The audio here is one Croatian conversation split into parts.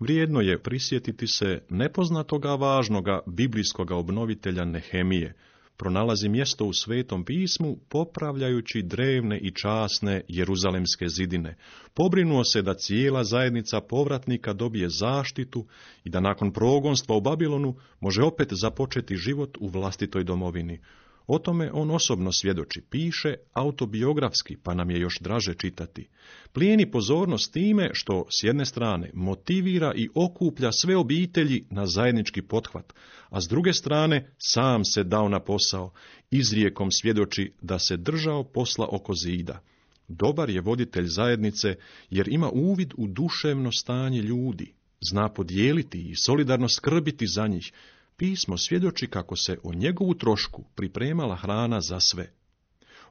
vrijedno je prisjetiti se nepoznatoga važnoga biblijskoga obnovitelja Nehemije. Pronalazi mjesto u Svetom pismu popravljajući drevne i časne jeruzalemske zidine. Pobrinuo se da cijela zajednica povratnika dobije zaštitu i da nakon progonstva u Babilonu može opet započeti život u vlastitoj domovini. O tome on osobno svjedoči, piše autobiografski, pa nam je još draže čitati. Plijeni pozornost time što, s jedne strane, motivira i okuplja sve obitelji na zajednički pothvat, a s druge strane, sam se dao na posao, izrijekom svjedoči da se držao posla oko zida. Dobar je voditelj zajednice jer ima uvid u duševno stanje ljudi, zna podijeliti i solidarno skrbiti za njih. Pismo svjedoči kako se o njegovu trošku pripremala hrana za sve.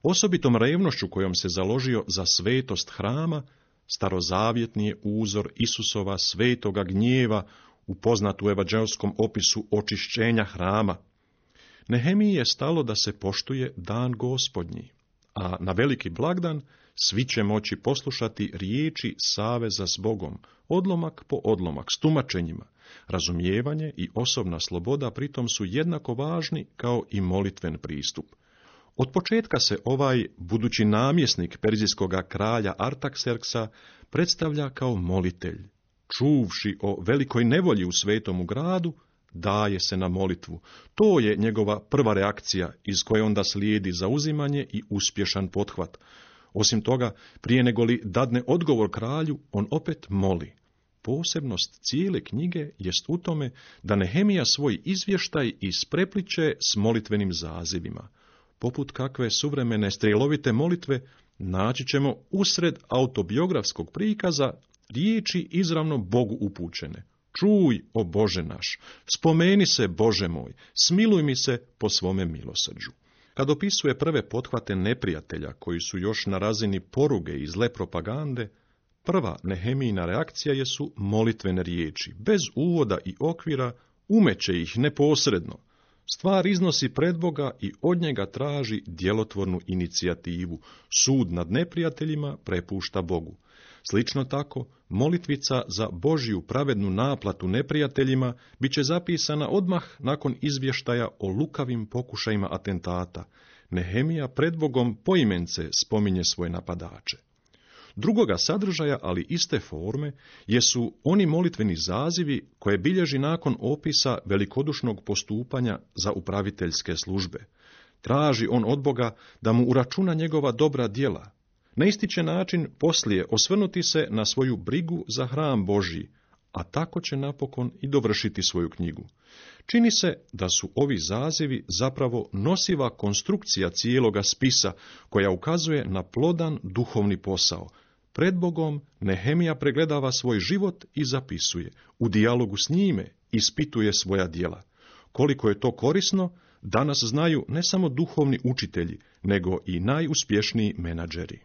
Osobitom revnošću kojom se založio za svetost hrama, starozavjetni je uzor Isusova svetoga gnjeva upoznat u evanđelskom opisu očišćenja hrama. Nehemiji je stalo da se poštuje dan Gospodnji, a na veliki blagdan svi će moći poslušati riječi saveza s Bogom, odlomak po odlomak, s tumačenjima. Razumijevanje i osobna sloboda pritom su jednako važni kao i molitven pristup. Od početka se ovaj budući namjesnik perzijskoga kralja Artakserksa predstavlja kao molitelj. Čuvši o velikoj nevolji u svetomu gradu, daje se na molitvu. To je njegova prva reakcija iz koje onda slijedi zauzimanje i uspješan pothvat. Osim toga, prije nego li dadne odgovor kralju, on opet moli. Posebnost cijele knjige jest u tome da Nehemija svoj izvještaj isprepliče s molitvenim zazivima. Poput kakve suvremene strijelovite molitve naći ćemo usred autobiografskog prikaza riječi izravno Bogu upućene. Čuj, o Bože naš, spomeni se, Bože moj, smiluj mi se po svome milosrđu. Kad opisuje prve pothvate neprijatelja koji su još na razini poruge i zle propagande, prva Nehemijina reakcija jesu molitvene riječi, bez uvoda i okvira, umeće ih neposredno. Stvar iznosi pred Boga i od njega traži djelotvornu inicijativu. Sud nad neprijateljima prepušta Bogu. Slično tako, molitvica za Božju pravednu naplatu neprijateljima bit će zapisana odmah nakon izvještaja o lukavim pokušajima atentata. Nehemija pred Bogom poimence spominje svoje napadače. Drugoga sadržaja, ali iste forme, jesu oni molitveni zazivi koje bilježi nakon opisa velikodušnog postupanja za upraviteljske službe. Traži on od Boga da mu uračuna njegova dobra djela. Na isti će način poslije osvrnuti se na svoju brigu za hram Božji, a tako će napokon i dovršiti svoju knjigu. Čini se da su ovi zazivi zapravo nosiva konstrukcija cijeloga spisa koja ukazuje na plodan duhovni posao. Pred Bogom Nehemija pregledava svoj život i zapisuje. U dijalogu s njime ispituje svoja djela. Koliko je to korisno, danas znaju ne samo duhovni učitelji, nego i najuspješniji menadžeri.